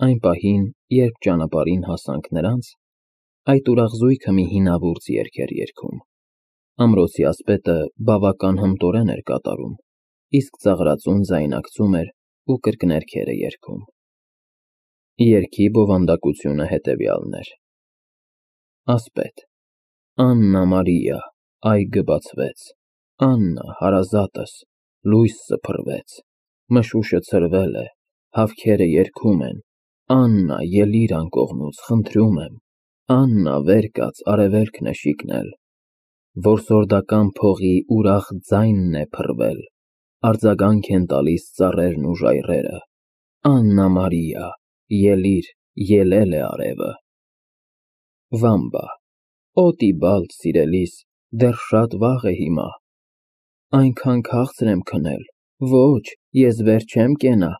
Այն պահին, երբ ճանապարհին հասանք նրանց, այդ ուրախ զույգը մի հինավուրց երգ էր երգում։ Ամրոցի ասպետը բավական հմտորեն էր կատարում, իսկ ծաղրածուն ձայնարկում էր ու կրկներգեր էր երգում։ Երգի բովանդակությունը հետևյալն էր. Ասպետ. Աննա Մարիա, այգը բացվեց, Աննա, հարազատս, լույս սփռվեց, մշուշը ցրվել է, հավքերը երգում են, Աննա, ելիր անկողնուց, խնդրում եմ, Աննա, վեր կաց, արևելքն է շիկնել, որսորդական փողի ուրախ ձայնն է փռվել, արձագանք են տալիս ծառերն ու ժայռերը, Աննա Մարիա, ելիր, ելել է արևը։ Վամբա. Օ Տիբալդ, սիրելիս, դեռ շատ վաղ է հիմա, այնքան քաղցր եմ քնել, ոչ, ես վեր չեմ կենա։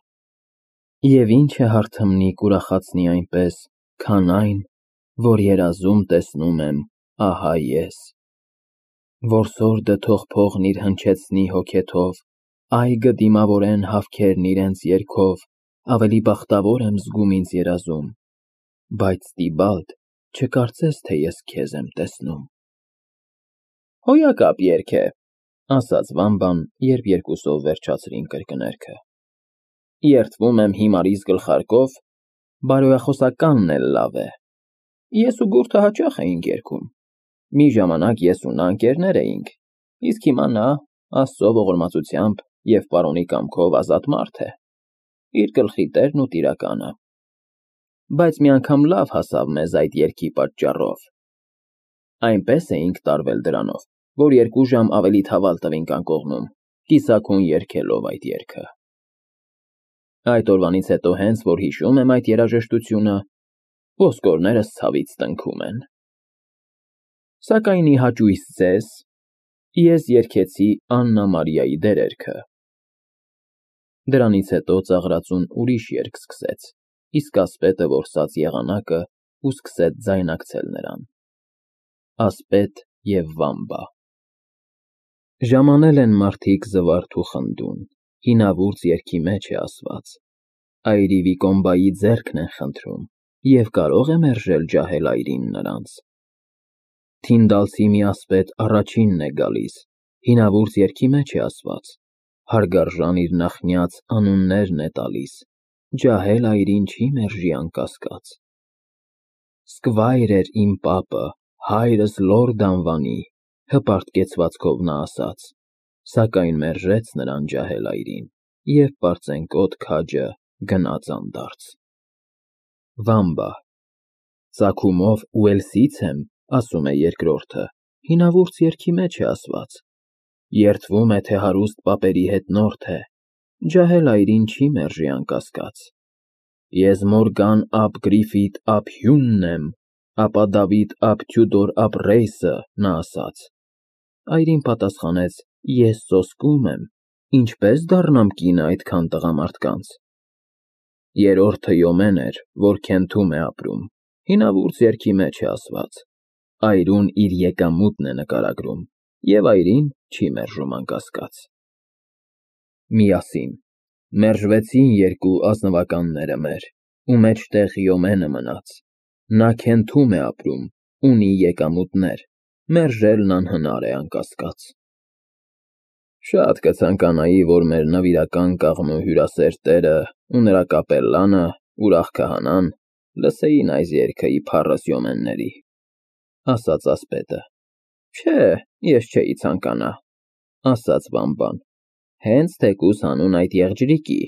Եվ ինչ է հարթմնիկ ուրախացնի այնպես, քան այն, որ երազում տեսնում եմ, ահա ես։ Որսորդը թող փողն իր հնչեցնի հոգեթով, այգը դիմավորեն հավքերն իրենց երգով, ավելի բախտավոր եմ զգում ինձ երազում, բայց Տիբալդ, չկարծես, թե ես քեզ եմ տեսնում։ Հոյակապ երգ է, ասաց Վամբան, երբ երկուսով վերջացրին կրկներգը։ Երդվում եմ հիմարիս գլխարկով, բարոյախոսականն էլ լավ է։ Ես ու Գուրթը հաճախ էինք երգում։ Մի ժամանակ ես ու նա ընկերներ էինք, իսկ հիմա նա, Աստծո ողորմածությամբ և պարոնի կամքով ազատ մարդ է, իր գլխի տերն ու տիրականը։ Բայց մի անգամ լավ հասավ մեզ այդ երգի պատճառով։ Այնպես էինք տարվել դրանով, որ 2 ժամ ավելի թավալ տվինք անկողնում, կիսաքուն երգելով այդ երգը։ Այդ օրվանից հետո հենց որ հիշում եմ այդ երաժշտությունը, ոսկորներս ցավից տնքում են։ Սակայն ի հաճույս ձեզ, ես երգեցի Աննա Մարիայի դերերքը։ Դրանից հետո ծաղրածուն ուրիշ երգ սկսեց, իսկ ասպետը որսաց եղանակը ու սկսեց ձայնակցել նրան։ Ասպետ և Վամբա։ Ժամանել են մարդիկ զվարթ ու խնդուն, հինավուրց երգի մեջ է ասված, այրի Վիկոմբայի ձեռքն են խնդրում, և կարող է մերժել ջահել այրին նրանց։ Թինդալցի մի ասպետ առաջինն է գալիս, հինավուրց երգի մեջ է ասված, հարգարժան իր նախնյաց անուններն է տալիս, ջահել այրին չի մերժի անկասկած։ Սկվայր էր իմ պապը, հայրս լորդ անվանի, հպարտ կեցվածքով նա ասաց, սակայն մերժեց նրան ջահել այրին, և պարծենկոտ քաջը գնաց անդարձ։ Վամբա. Ծագումով Ուելսից եմ, ասում է երկրորդը, հինավուրց երգի մեջ է ասված, երդվում է, թե հարուստ պապերի հետնորդ է, ջահել այրին չի մերժի անկասկած։ Ես Մորգան ափ Գրիֆիթ ափ Հյունն եմ, ապա Դավիթ ափ Թյուդոր ափ Ռեյսը, նա ասաց։ Այրին պատասխանեց, ես սոսկում եմ, ինչպես դառնամ կինը այդքան տղամարդկանց։ Երրորդը Յոմեն էր, որ Քենթում է ապրում, հինավուրց երգի մեջ է ասված, այրուն իր եկամուտն է նկարագրում, և այրին չի մերժում անկասկած։ Միասին մերժվեցին 2 ազնվականները մեր, ու մեջտեղ Յոմենը մնաց, նա Քենթում է ապրում, ունի եկամուտներ, մերժելն անհնար է անկասկած։ Շատ կցանկանայի, որ մեր նվիրական կաղնու հյուրասեր տերը ու նրա կապելլանը, ուրախ քահանան, լսեին այս երգը ի փառս Յոմենների, ասաց ասպետը։ Չէ, ես չէի ցանկանա, ասաց Վամբան, հենց թեկուզ հանուն այդ եղջրիկի,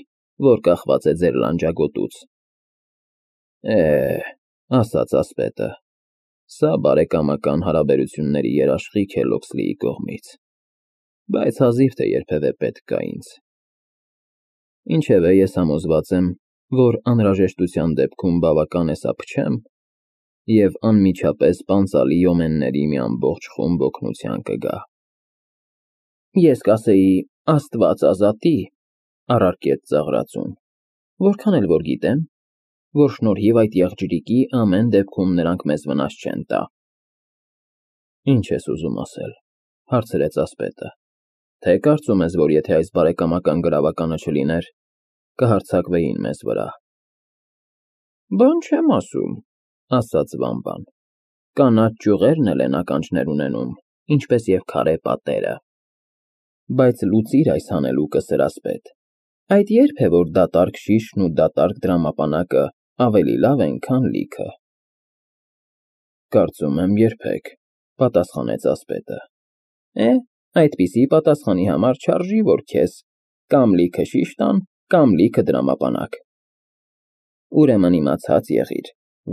որ կախված է ձեր լանջագոտուց։ Ասաց ասպետը, սա բարեկամական հարաբերությունների երաշխիք է Լոքսլիի կողմից, բայց հազիվ թե երբևէ պետք գա ինձ։ Ինչևէ, ես համոզված եմ, որ անհրաժեշտության դեպքում բավական է սա փչեմ, և անմիջապես պանծալի Յոմենների մի ամբողջ խումբ օգնության կգա։ Ես կասեի, Աստված ազատի, առարկեց ծաղրածուն, որքան էլ որ գիտեմ, որ շնորհիվ այդ եղջրիկի ամեն դեպքում նրանք մեզ վնաս չեն տա։ Ինչ ես ուզում ասել, հարցրեց ասպետը, թե կարծում ես, որ եթե այս բարեկամական գրավականը չլիներ, կհարձակվեին մեզ վրա։ Բան չեմ ասում, ասաց Վամբան։ Կանաչ ճյուղերն էլ են ականջներ ունենում, ինչպես և քարե պատերը։ Բայց լուծիր այս հանելուկը, սրասպետ, այդ ե՞րբ է, որ դատարկ շիշն ու դատարկ դրամապանակը ավելի լավ են, քան լիքը։ Կարծում եմ երբեք, պատասխանեց ասպետը։ Այդպիսի պատասխանի համար չարժի, որ քեզ կամ լիքը շիշ տան, կամ լիքը դրամապանակ։ Ուրեմն իմացած եղիր,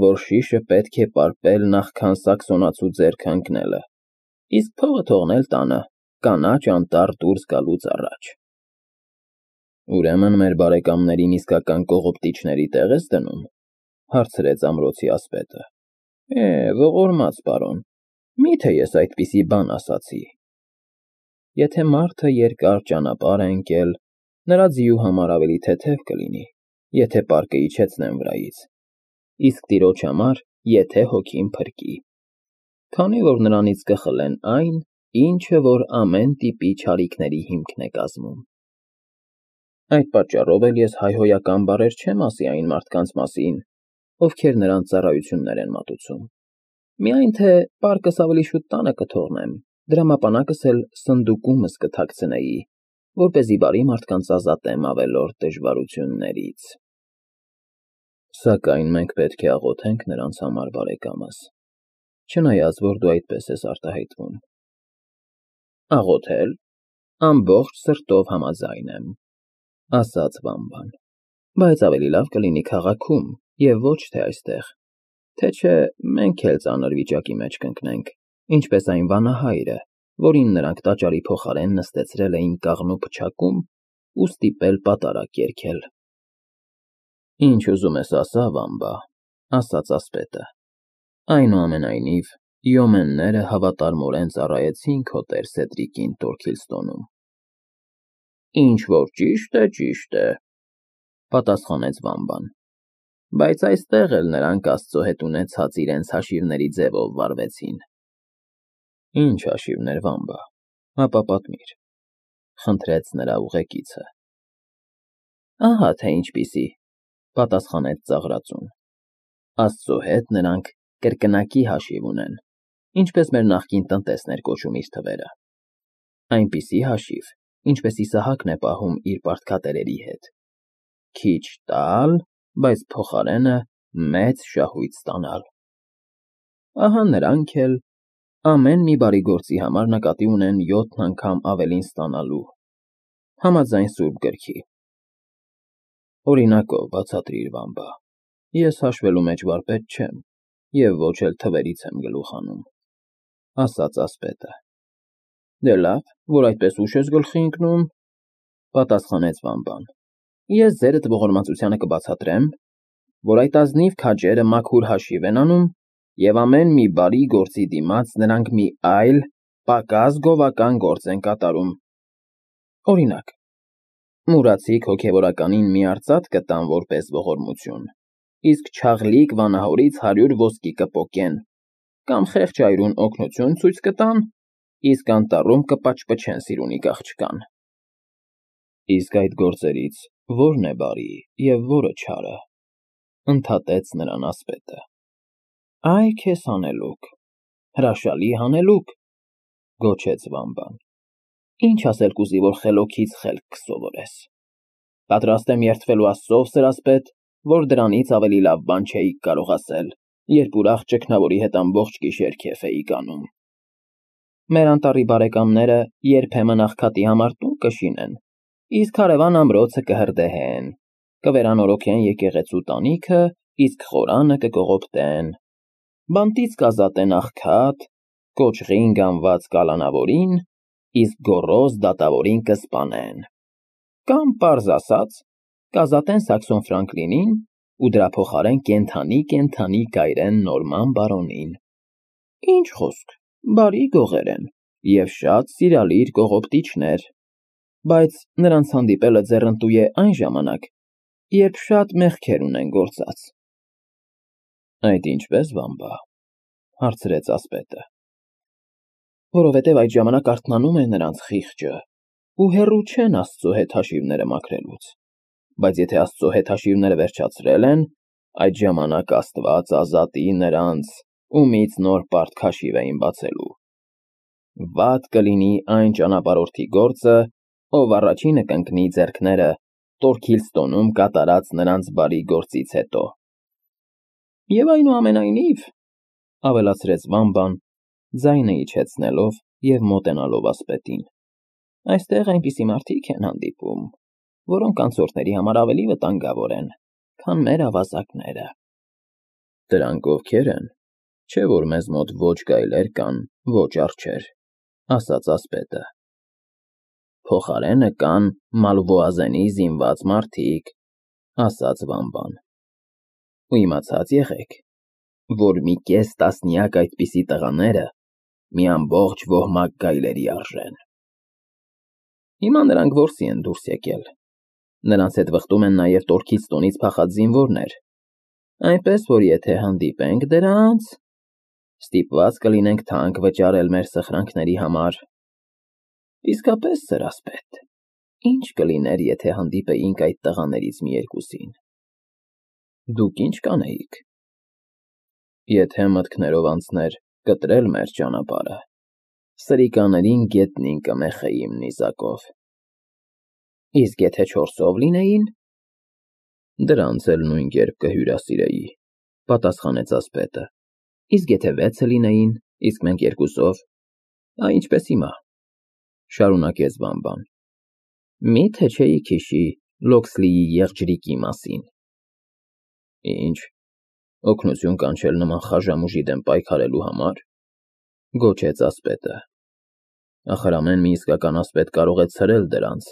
որ շիշը պետք է պարպել նախքան սաքսոնացու ձեռք ընկնելը, իսկ փողը թողնել տանը, կանաչ անտառ դուրս գալուց առաջ։ Ուրեմն մեր բարեկամներին իսկական կողոպտիչների տեղ ես դնում, հարցրեց ամրոցի ասպետը։ Ողորմած պարոն, միթե ես այդպիսի բան ասացի։ Եթե մարդը երկար ճանապարհ է ընկել, նրա ձիու համար ավելի թեթև կլինի, եթե պարկը իջեցնեն վրայից, իսկ տիրոջ համար, եթե հոգին փրկի, քանի որ նրանից կխլեն այն, ինչը որ ամեն տիպի չարիքների հիմքն է կազմում։ Այդ պատճառով էլ ես հայհոյական բառեր չեմ ասի այն մարդկանց մասին, ովքեր նրանց ծառայություններ են մատուցում։ Միայն թե պարկս ավելի շուտ տանը կթողնեմ, դրամապանակս էլ սնդուկումս կթաքցնեի, որպեսզի բարի մարդկանց ազատեմ ավելորդ դժվարություններից։ Սակայն մենք պետք է աղոթենք նրանց համար, բարեկամս, չնայած որ դու այդպես ես արտահայտվում։ Աղոթել, ամբողջ սրտով համաձայն եմ, ասաց Վամբան, բայց ավելի լավ կլինի քաղաքում և ոչ թե այստեղ, թե չէ մենք էլ ծանր վիճակի մեջ կընկնենք, ինչպես այն վանահայրը, որին նրանք տաճարի փոխարեն նստեցրել էին կաղնու փչակում ու ստիպել պատարագ երգել։ Ինչ ուզում ես ասա, Վամբա, ասաց ասպետը, այնուամենայնիվ յոմենները հավատարմորեն ծառայեցին քո տեր Սեդրիկին Տորքիլստոնում։ Ինչ որ ճիշտ է, պատասխանեց Վամբան, բայց այստեղ էլ նրանք Աստծո հետ ունեցած իրենց հաշիվների ձևով վարվեցին։ Ինչ հաշիվներ, Վամբա, ապա պատմիր, խնդրեց նրա ուղեկիցը։ Ահա թե ինչպիսի, պատասխանեց ծաղրածուն։ Աստծո հետ նրանք կրկնակի հաշիվ ունեն, ինչպես մեր նախկին տնտեսն էր կոչում իր թվերը։ Այնպիսի հաշիվ, ինչպես Իսահակն է պահում իր պարտքատերերի հետ։ Քիչ տալ, բայց փոխարենը մեծ շահույթ ստանալ։ Ահա նրանք էլ ամեն մի բարի գործի համար նկատի ունեն 7 անգամ ավելին ստանալու, համաձայն Սուրբ Գրքի։ Օրինակով բացատրիր, Վամբա, ես հաշվելու մեջ վարպետ չեմ և ոչ էլ թվերից եմ գլուխ հանում, ասաց ասպետը։ Դե լավ, որ այդպես ուշ ես գլխի ընկնում, պատասխանեց Վամբան։ Ես ձերդ ողորմածությանը կբացատրեմ, որ այդ ազնիվ քաջերը մաքուր հաշիվ են անում և ամեն մի բարի գործի դիմաց նրանք մի այլ, պակաս գովական գործ են կատարում։ Օրինակ, մուրացիկ հոգևորականին մի արծաթ կտան որպես ողորմություն, իսկ չաղլիկ վանահորից 100 ոսկի կպոկեն, կամ խեղճ այրուն օգնություն ցույց կտան, իսկ անտառում կպաճպճեն սիրունի աղջկան։ Իսկ այդ գործերից ո՞րն է բարի և ո՞րը չարը, ընդհատեց նրան ասպետը։ Այ քեզ հանելուկ, հրաշալի հանելուկ, գոչեց Վամբան։ Ինչ ասել կուզի, որ խելոքից խելք կսովորես։ Պատրաստ եմ երդվելու Աստծով, սրասպետ, որ դրանից ավելի լավ բան չէիք կարող ասել, երբ ուրախ ճգնավորի հետ ամբողջ գիշեր քեֆ էիք անում։ Մեր անտառի բարեկամները երբեմն աղքատի համար տուն կշինեն, իսկ հարևան ամրոցը կհրդեհեն, կվերանորոգեն եկեղեցու տանիքը, իսկ խորանը կկողոպտեն, բանտից կազատեն աղքատ, կոճղին գանված կալանավորին, իսկ գոռոզ դատավորին կսպանեն, կամ պարզ ասած, կազատեն Սաքսոն Ֆրանկլինին ու դրա փոխարեն կենդանի կայրեն Նորման բարոնին։ Ինչ խոսք, բարի գողեր են և շատ սիրալիր կողոպտիչներ, բայց նրանց հանդիպելը ձեռնտու է այն ժամանակ, երբ շատ մեղքեր ունեն գործած։ Այդ ինչպես, Վամբա, հարցրեց ասպետը։ Որովհետև այդ ժամանակ արթնանում է նրանց խիղճը ու հեռու չեն Աստծո հետ հաշիվները մաքրելուց, բայց եթե Աստծո հետ հաշիվները վերջացրել են, Այդ ժամանակ Աստված ազատի նրանց, ումից նոր պարտ քաշիվ էին բացելու։ Վատ կլինի այն ճանապարհորդի գործը, ով առաջինը կընկնի ձեռքները Տորքիլստոնում կատարած նրանց բարի գործից հետո։ Եվ այնուամենայնիվ, ավելացրեց Վամբան, ձայնը իջեցնելով և մոտենալով ասպետին, այստեղ այնպիսի մարդիկ են հանդիպում, որոնք անցորդների համար ավելի վտանգավոր են, քան մեր ավազակները։ Դրանք ովքեր են, չէ որ մեզ մոտ ոչ գայլեր կան, ոչ արջեր, ասաց ասպետը։ Փոխարենը կան Մալվոազենի զինված մարդիկ, ասաց Վամբան։ Ու իմացած եղեք, որ մի կես տասնյակ այդպիսի տղաները մի ամբողջ ոհմակ գայլերի արժեն։ Հիմա նրանք որսի են դուրս եկել։ Նրանց հետ վխտում են նաև Տորքիլստոնից փախած զինվորներ, այնպես որ եթե հանդիպենք դրանց, ստիպված կլինենք թանկ վճարել մեր սխրանքների համար։ Իսկապես, սեր ասպետ, ինչ կլիներ, եթե հանդիպեինք այդ տղաներից մի երկուսին։ Դուք ինչ կանեիք։ Եթե մտքներով անցներ կտրել մեր ճանապարհը, սրիկաներին գետնին կմեխեի իմ նիզակով։ Իսկ եթե 4-ով լինեին, դրանց էլ նույն կերպ կհյուրասիրեի, պատասխանեց ասպետը։ Իսկ եթե 6-ը լինեին, իսկ մենք 2-ով, ինչպես հիմա, շարունակեց Վամբան։ Միթե չէիք հիշի Լոքսլիի եղջրիկի մասին։ Ինչ, օգնություն կանչել նման խաժամուժի դեմ պայքարելու համար, գոչեց ասպետը։ Ախր ամեն մի իսկական ասպետ կարող է ցրել դրանց,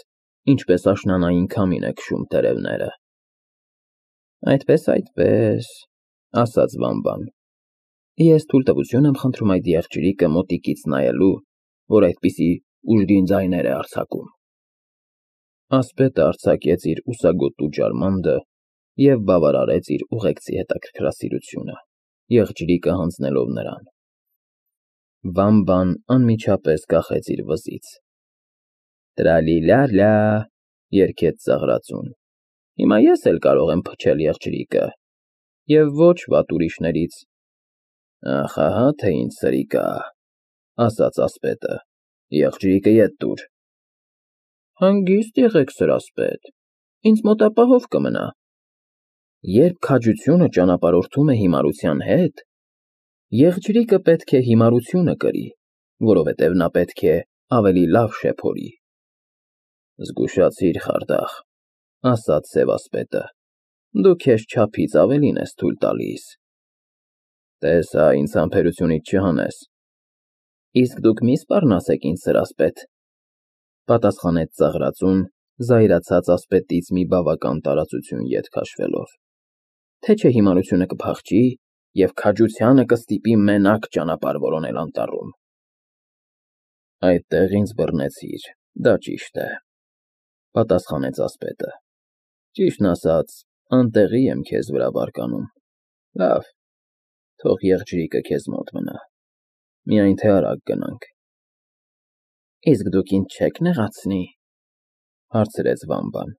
ինչպես աշնանային քամին է քշում տերևները։ Այդպես, ասաց Վամբան։ Ես թույլտվություն եմ խնդրում այդ եղջրիկը մոտիկից նայելու, որ այդպիսի ուժգին ձայներ է արձակում։ Ասպետը արձակեց իր ուսագոտու ջարմանդը և բավարարեց իր ուղեկցի հետաքրքրասիրությունը, եղջրիկը հանձնելով նրան։ Վամբան անմիջապես կախեց իր վզից։ Տրալիլալա, երգեց ծաղրածուն։ Հիմա ես էլ կարող եմ փչել եղջրիկը, և ոչ վատ ուրիշներից։ Ահա թե ինչ սրիկա, ասաց ասպետը, եղջրիկը ետ տուր։ Հանգիստ եղեք, սր ասպետ, ինձ մոտ ապահով կմնա։ Երբ քաջությունը ճանապարհորդում է հիմարության հետ, եղջրիկը պետք է հիմարությունը կրի, որովհետև նա պետք է ավելի լավ շեփորի։ Զգուշացիր, խարդախ, ասաց սևասպետը, դու քեզ չափից ավելին ես թույլ տալիս։ Տես հա, ինձ համբերությունից չհանես։ Իսկ դուք մի սպառնացեք ինձ, սր ասպետ, պատասխանեց ծաղրածուն, զայրացած ասպետից մի բավական տարածություն ետ քաշվելով։ Թե չէ հիմարությունը կփախչի և քաջությանը կստիպի մենակ ճանապարհ որոնել անտառում։ Այդտեղ ինձ բռնեցիր, դա ճիշտ է, պատասխանեց ասպետը։ Ճիշտն ասած, անտեղի եմ քեզ վրա բարկանում։ Լավ, թող եղջրիկը քեզ մոտ մնա, միայն թե արագ գնանք։ Իսկ դուք ինձ չեք նեղացնի, հարցրեց Վամբան։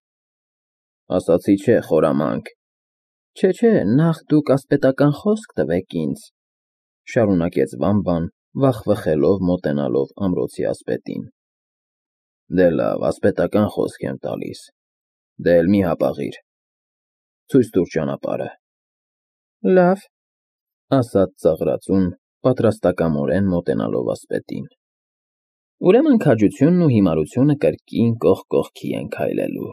Ասացի չէ, խորամանկ։ Չէ, նախ դուք ասպետական խոսք տվեք ինձ, շարունակեց Վամբան, վախվխելով մոտենալով ամրոցի ասպետին։ Դե լավ, ասպետական խոսք եմ տալիս, դե էլ մի հապաղիր, ցույց տուր ճանապարհը։ Լավ, ասաց ծաղրածուն, պատրաստակամորեն մոտենալով ասպետին։ Ուրեմն քաջությունն ու հիմարությունը կրկին կողք կողքի են քայլելու։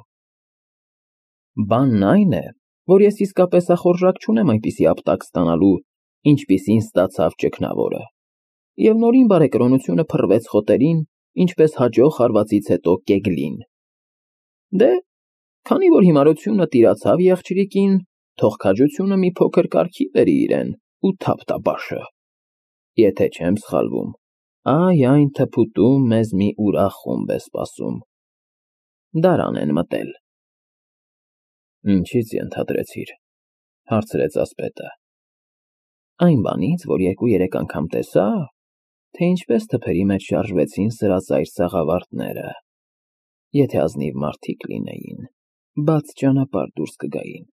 Բանն այն է, որ ես իսկապես ախորժակ չունեմ այնպիսի ապտակ ստանալու, ինչպիսին ստացավ ճգնավորը, և նորին բարեկրոնությունը փռվեց խոտերին, ինչպես հաջող հարվածից հետո կեգլին։ Դե, քանի որ հիմարությունը տիրացավ եղջրիկին, թող քաջությունը մի փոքր կարգի բերի իրեն ու թափ տա բաշը։ Եթե չեմ սխալվում, այ այն թփուտում մեզ մի ուրախ խումբ է սպասում։ Դարան են մտել։ Ինչից ենթադրեցիր, հարցրեց ասպետը։ Այն բանից, որ 2-3 անգամ տեսա, թե ինչպես թփերի մեջ շարժվեցին սրածայր սաղավարտները։ Եթե ազնիվ մարդիկ լինեին, բաց ճանապարհ դուրս կգային։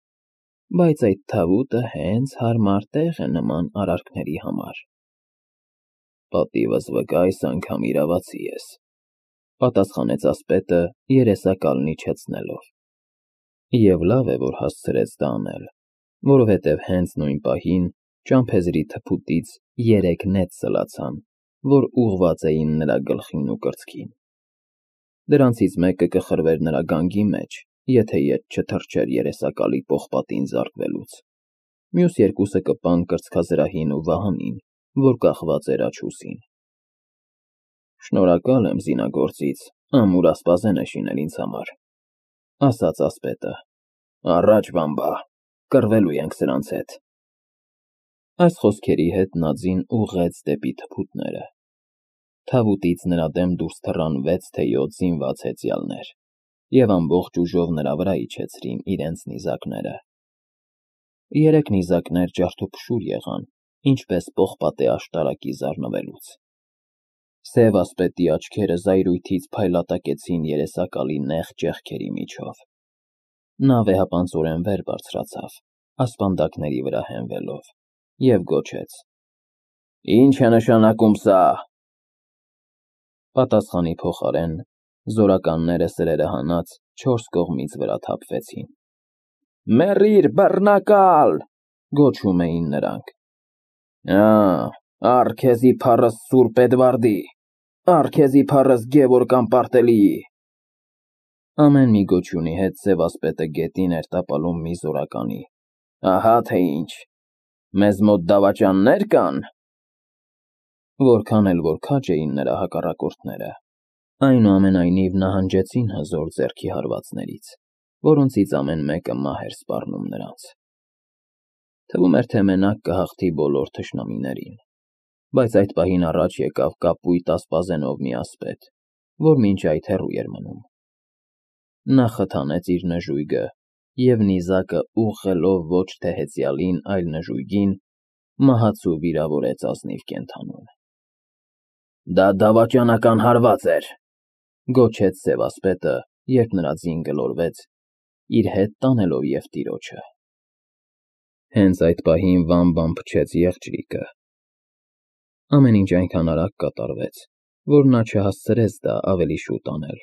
բայց այդ թավուտը հենց հարմար տեղ է նման արարքների համար։ Պատիվս վկա այս անգամ իրավացի ես, պատասխանեց ասպետը երեսակալն իջեցնելով։ Եվ լավ է, որ հասցրեց դա անել, որովհետև հենց նույն պահին ճամփեզրի թփուտից 3 նետ սլացան, որ ուղղված էին նրա գլխին ու կրծքին։ Դրանցից մեկը կխրվեր նրա գանգի մեջ, եթե ետ չթռչեր երեսակալի պողպատին զարկվելուց, մյուս երկուսը կպան կրծքազրահին ու վահանին, որ կախված էր աջ ուսին։ Շնորհակալ եմ զինագործից, ամուր ասպազեն է շինել ինձ համար, ասաց ասպետը։ Առաջ, բամբա, կռվելու ենք սրանց հետ։ Այս խոսքերի հետ նա ձին ուղղեց դեպի թփուտները։ Թավուտից նրա դեմ դուրս թռան 6 թե 7 զինված հեծյալներ և ամբողջ ուժով նրա վրա իջեցրին իրենց նիզակները։ 3 նիզակներ ջարդուփշուր եղան, ինչպես պողպատե աշտարակի զարնվելուց։ Սև ասպետի աչքերը զայրույթից փայլատակեցին երեսակալի նեղ ճեղքերի միջով։ Նա վեհապանծորեն վեր բարձրացավ, ասպանդակների վրա հենվելով, և գոչեց. Ինչ է նշանակում սա։ Պատասխանի փոխարեն զորականները սրերը հանած 4 կողմից վրա թափվեցին։ Մեռիր, բռնակալ, գոչում էին նրանք։ Առ քեզի փառս Սուրբ Էդվարդի, առ քեզի փառս Գևորգ Ամպարտելիի։ Ամեն մի գոչյունի հետ սև ասպետը գետին էր տապալում մի զորականի։ Ահա թե ինչ, մեզ մոտ դավաճաննե՞ր կան։ Որքան էլ որ քաջ էին նրա հակառակորդները, այնուամենայնիվ նահանջեցին հզոր ձեռքի հարվածներից, որոնցից ամեն մեկը մահ էր սպառնում նրանց։ Թվում էր, թե մենակ կհաղթի բոլոր թշնամիներին, բայց այդ պահին առաջ եկավ կապույտ ասպազենով մի ասպետ, որ մինչ այդ հեռու էր մնում։ Նա խթանեց իր նժույգը և նիզակը ուղղելով ոչ թե հեծյալին, այլ նժույգին, մահացու վիրավորեց ազնիվ կենդանուն։ Դա դավաճանական հարված էր, գոչեց սև ասպետը, երբ նրա ձին գլորվեց, իր հետ տանելով և տիրոջը։ Հենց այդ պահին վամ-վամ փչեց եղջյուրիկը։ Ամեն ինչ այնքան արագ կատարվեց, որ նա չհասցրեց դա ավելի շուտ անել։